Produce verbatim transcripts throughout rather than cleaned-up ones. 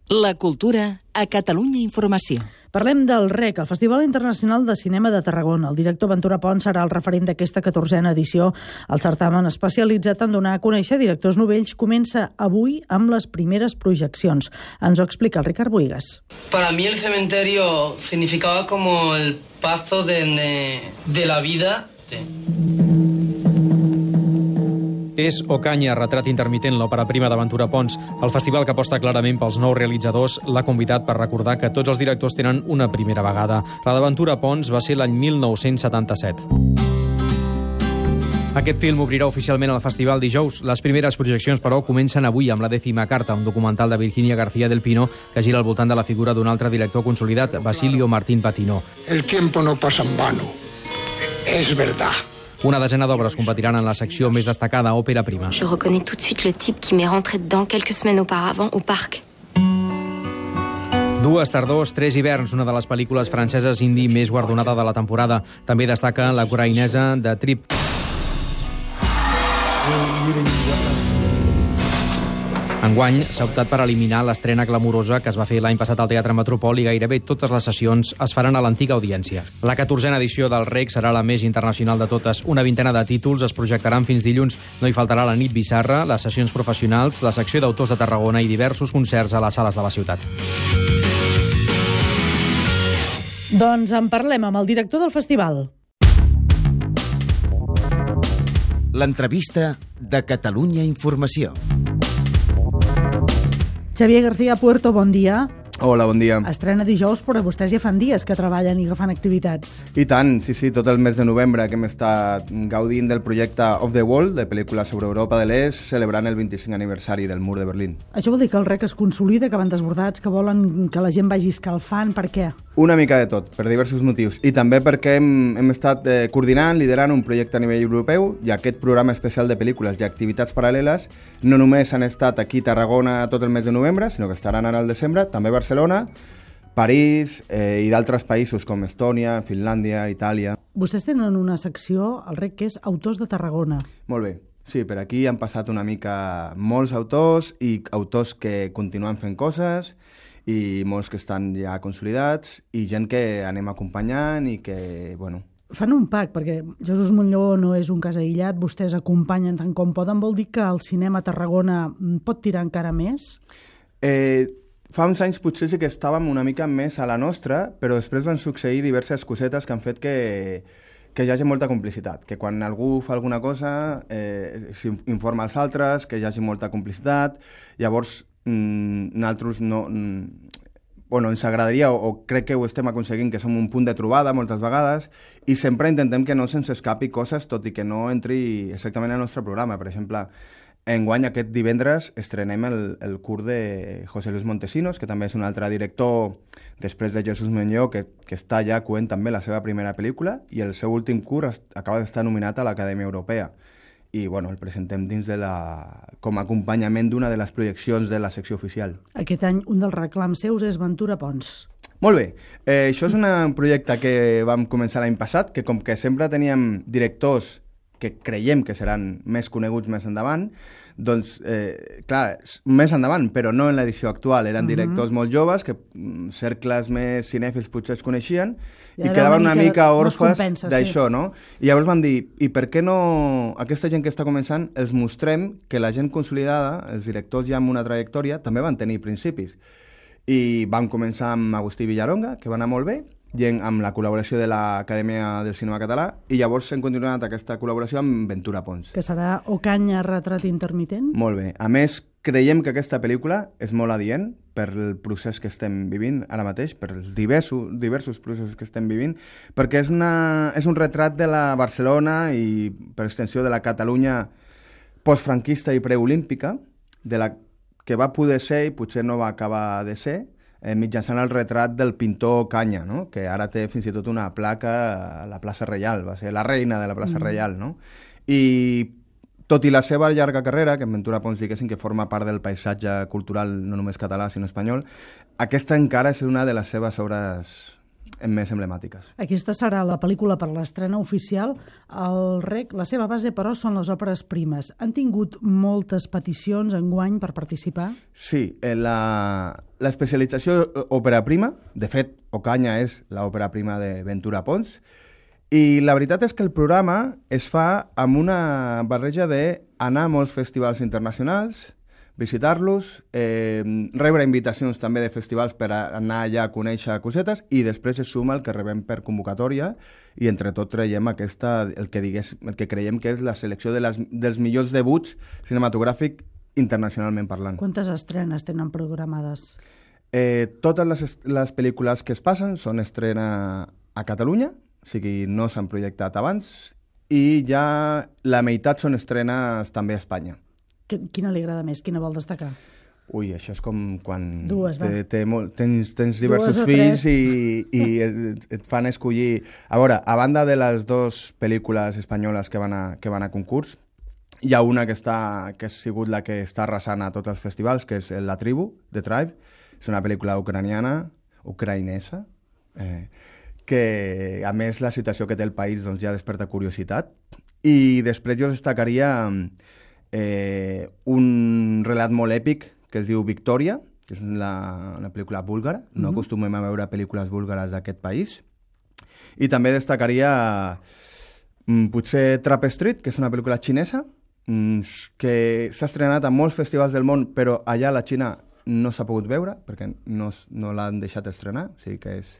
La cultura a Catalunya Informació. Parlem del REC, el Festival Internacional de Cinema de Tarragona. El director Ventura Pons serà el referent d'aquesta catorzena edició. El certamen especialitzat en donar a conèixer directors novells comença avui amb les primeres projeccions. Ens ho explica el Ricard Buigas. Para mí el cementerio significaba como el paso de, de la vida. És Ocaña, retrat intermitent, l'òpera prima de Ventura Pons. El festival, que aposta clarament pels nous realitzadors, l'ha convidat per recordar que tots els directors tenen una primera vegada. La de Ventura Pons va ser l'any mil nou-cents setanta-set. Aquest film obrirà oficialment el festival dijous. Les primeres projeccions, però, comencen avui amb La dècima carta, un documental de Virginia García del Pino que gira al voltant de la figura d'un altre director consolidat, Basilio Martín Patino. El tiempo no pasa en vano. Es verdad. Una desena d'obres competiran en la secció més destacada, òpera prima. Je reconnais tout de suite le type qui m'est rentré dedans quelques semaines auparavant au parc. Dues tardors, tres hiverns, una de les pel·lícules franceses indie més guardonada de la temporada. També destaca la ucraïnesa de Trip. Enguany s'ha optat per eliminar l'estrena glamurosa que es va fer l'any passat al Teatre Metropol i gairebé totes les sessions es faran a l'antiga audiència. La catorzena edició del REC serà la més internacional de totes. Una vintena de títols es projectaran fins dilluns. No hi faltarà la nit bizarra, les sessions professionals, la secció d'autors de Tarragona i diversos concerts a les sales de la ciutat. Doncs en parlem amb el director del festival. L'entrevista de Catalunya Informació. Xavier García Puerto, bon dia. Hola, bon dia. Estrena dijous, però vostès ja fan dies que treballen i que fan activitats. I tant, sí, sí, tot el mes de novembre que hem estat gaudint del projecte Off the Wall, de pel·lícules sobre Europa de l'Est, celebrant el vint-i-cinc aniversari del Mur de Berlín. Això vol dir que el REC es consolida, que van desbordats, que volen que la gent vagi escalfant, per què? Una mica de tot, per diversos motius. I també perquè hem, hem estat eh, coordinant, liderant un projecte a nivell europeu, i aquest programa especial de pel·lícules i activitats paral·leles no només han estat aquí a Tarragona tot el mes de novembre, sinó que estaran ara al desembre, també a Barcelona, París eh, i d'altres països com Estònia, Finlàndia, Itàlia. Vostès tenen una secció, al REC, que és Autors de Tarragona. Molt bé. Sí, per aquí han passat una mica molts autors i autors que continuen fent coses i molts que estan ja consolidats i gent que anem acompanyant i que, bueno... Fan un pack, perquè Jesús Montlló no és un cas aïllat, vostès acompanyen tant com poden. Vol dir que el cinema a Tarragona pot tirar encara més? Eh... Fa uns anys potser sí que estàvem una mica més a la nostra, però després van succeir diverses cosetes que han fet que, que hi hagi molta complicitat, que quan algú fa alguna cosa eh, s'informa als altres, que hi hagi molta complicitat. Llavors, mm, nosaltres no... Mm, bueno, ens agradaria, o, o crec que ho estem aconseguint, que som un punt de trobada moltes vegades, i sempre intentem que no se'ns escapi coses, tot i que no entri exactament al nostre programa. Per exemple, enguany, aquest divendres, estrenem el, el curt de José Luis Montesinos, que també és un altre director, després de Jesús Montlló, que, que està ja coent també la seva primera pel·lícula, i el seu últim curt acaba d'estar nominat a l'Acadèmia Europea. I, bueno, el presentem dins de la... com a acompanyament d'una de les projeccions de la secció oficial. Aquest any, un dels reclams seus és Ventura Pons. Molt bé. Eh, això és un projecte que vam començar l'any passat, que com que sempre teníem directors que creiem que seran més coneguts més endavant, doncs, eh, clar, més endavant, però no en l'edició actual. Eren directors uh-huh. molt joves, que cercles més cinèfils potser es coneixien, i, i quedaven una mica, mica orfes d'això, sí. No? I llavors vam dir, i per què no aquesta gent que està començant els mostrem que la gent consolidada, els directors ja amb una trajectòria, també van tenir principis. I vam començar amb Agustí Villaronga, que va anar molt bé, i amb la col·laboració de l'Acadèmia del Cinema Català, i llavors hem continuat aquesta col·laboració amb Ventura Pons. Que serà Ocaña, retrat intermitent? Molt bé. A més, creiem que aquesta pel·lícula és molt adient per el procés que estem vivint ara mateix, per els diversos, diversos processos que estem vivint, perquè és, una, és un retrat de la Barcelona i, per extensió, de la Catalunya postfranquista i preolímpica, de la que va poder ser i potser no va acabar de ser, Eh, mitjançant el retrat del pintor Canya, no? Que ara té fins i tot una placa a la plaça Reial, va ser la reina de la plaça mm. Reial, no? I tot i la seva llarga carrera, que en Ventura Pons diguéssim que forma part del paisatge cultural no només català sinó espanyol, aquesta encara és una de les seves obres més emblemàtiques. Aquesta serà la pel·lícula per l'estrena oficial. El Rec, la seva base, però, són les òperes primes. Han tingut moltes peticions enguany per participar? Sí, eh, la, l'especialització òpera prima, de fet, Ocaña és l'òpera prima de Ventura Pons, i la veritat és que el programa es fa amb una barreja d'anar a molts festivals internacionals, visitar-los, eh, rebre invitacions també de festivals per anar allà a conèixer cosetes i després es suma el que rebem per convocatòria i entre tot traiem aquesta, el que, digués, el que creiem que és la selecció de les, dels millors debuts cinematogràfics internacionalment parlant. Quantes estrenes tenen programades? Eh, totes les, les pel·lícules que es passen són estrena a Catalunya, o sigui, no s'han projectat abans, i ja la meitat són estrenes també a Espanya. Quina li agrada més? Quina vol destacar? Ui, això és com quan Dues, té, té molt, tens, tens diversos fills i, i et, et fan escollir... A veure, a banda de les dues pel·lícules espanyoles que van a, que van a concurs, hi ha una que, està, que ha sigut la que està arrasant a tots els festivals, que és La tribu, The Tribe. És una pel·lícula ucraniana, ucraïnesa, eh, que a més la situació que té el país doncs, ja desperta curiositat. I després jo destacaria... Eh, un relat molt èpic que es diu Victòria, que és la, una pel·lícula búlgara. No mm-hmm. acostumem a veure pel·lícules búlgares d'aquest país. I també destacaria mm, potser Trap Street, que és una pel·lícula xinesa, mm, que s'ha estrenat a molts festivals del món, però allà a la Xina no s'ha pogut veure, perquè no, no l'han deixat estrenar. O sigui que és,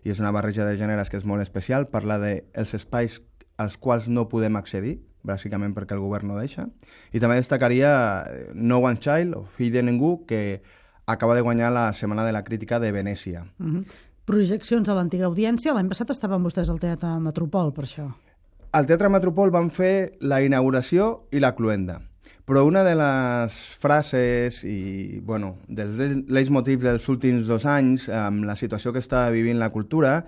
i és una barreja de gèneres que és molt especial. Parla dels espais als quals no podem accedir, bàsicament perquè el govern no deixa. I també destacaria No One's Child, o Fill de Ningú, que acaba de guanyar la Setmana de la Crítica de Venècia. Mm-hmm. Projeccions a l'antiga audiència. L'any passat estaven vostès al Teatre Metropol, per això. Al Teatre Metropol van fer la inauguració i la cluenda. Però una de les frases i, bueno, dels leitmotivs dels últims dos anys, amb la situació que està vivint la cultura,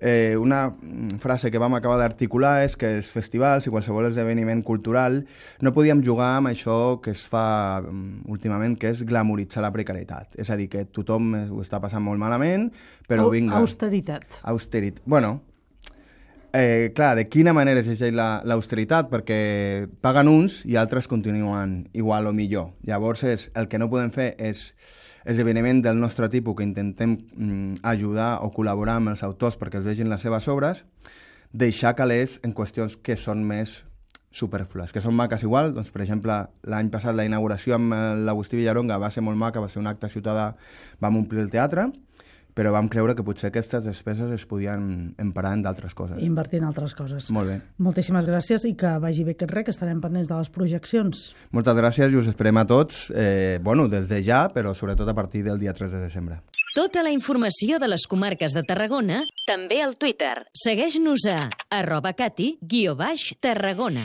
Eh, una frase que vam acabar d'articular és que els festivals i qualsevol esdeveniment cultural no podíem jugar amb això que es fa um, últimament, que és glamoritzar la precarietat. És a dir, que tothom ho està passant molt malament, però Au, vinga... Austeritat. Austeritat. Bueno, eh, clar, de quina manera es llegeix l'austeritat? Perquè paguen uns i altres continuen igual o millor. Llavors, és, el que no podem fer és esdeveniment del nostre tipus que intentem mm, ajudar o col·laborar amb els autors perquè es vegin les seves obres, deixar calés en qüestions que són més superflues, que són maques igual. Doncs, per exemple, l'any passat la inauguració amb l'Agustí Villaronga va ser molt maca, va ser un acte ciutadà, vam omplir el teatre, però vam creure que potser aquestes despeses es podien emparar en d'altres coses. Invertir en altres coses. Molt bé. Moltíssimes gràcies i que vagi bé aquest Rec, que estarem pendents de les projeccions. Moltes gràcies i us esperem a tots, eh, bueno, des de ja, però sobretot a partir del dia tres de desembre. Tota la informació de les comarques de Tarragona, també al Twitter. Segueix-nos a arroba cati guió baix Tarragona.